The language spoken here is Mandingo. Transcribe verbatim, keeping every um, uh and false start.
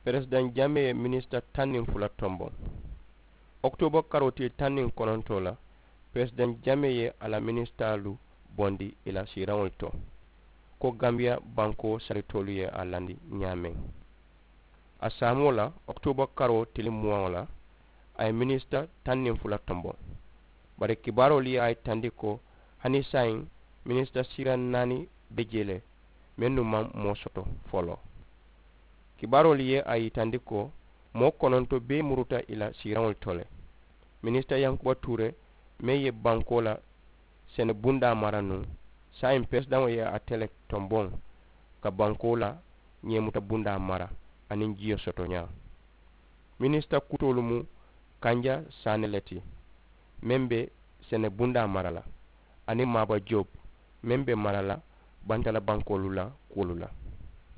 Peresidaŋ jamee ye minisita taŋ niŋ fula tomboŋ. Okitooba karoo tili taŋ niŋ konontoo la, peresidaŋ jamee ye a la minisitaalu bondi ì la siiraŋolu to, ko gambiya bankoo saritoolu ye a landi ñaameŋ. A saamoo la, okitooba karoo tili muwaŋo la, a ye minisita taŋ niŋ fula tomboŋ. Bari kibaaroolu ye a yitandi ko hani saayiŋ minisita siiraŋ naani be jee le, mennu maŋ moo soto foloo. Kibaaroolu ye a yitandi ko moo kononto bee muruta ì la siiraŋolu to le. Minisita yankuba tuure meŋ ye bankoo la sene bundaa mara nuŋ, saayiŋ peresidaŋo ye ate le tomboŋ ka bankoo la ñeemuta bundaa mara aniŋ jiyo sotoñaa. Minisita kutoolu mu kanja saane le ti, meŋ be sene bundaa mara la, aniŋ maaba joob, meŋ be mara la bantala bankoolu la kuwolu la.